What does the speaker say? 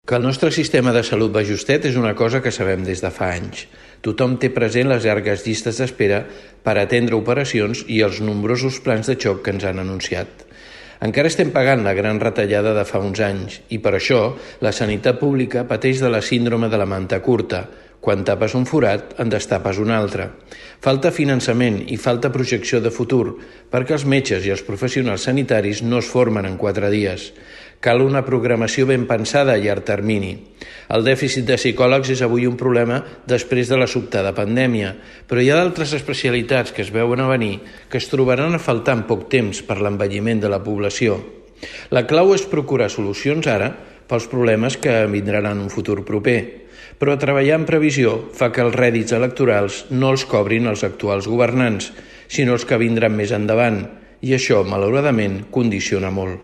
Que el nostre sistema de salut va justet és una cosa que sabem des de fa anys. Tothom té present les llargues llistes d'espera per atendre operacions i els nombrosos plans de xoc que ens han anunciat. Encara estem pagant la gran retallada de fa uns anys i per això la sanitat pública pateix de la síndrome de la manta curta. Quan tapes un forat, en destapes un altre. Falta finançament i falta projecció de futur perquè els metges i els professionals sanitaris no es formen en 4 dies. Cal una programació ben pensada a llarg termini. El dèficit de psicòlegs és avui un problema després de la sobtada pandèmia, però hi ha d'altres especialitats que es veuen a venir que es trobaran a faltar en poc temps per l'envelliment de la població. La clau és procurar solucions ara pels problemes que vindran en un futur proper, però treballar en previsió fa que els rèdits electorals no els cobrin els actuals governants, sinó els que vindran més endavant, i això, malauradament, condiciona molt.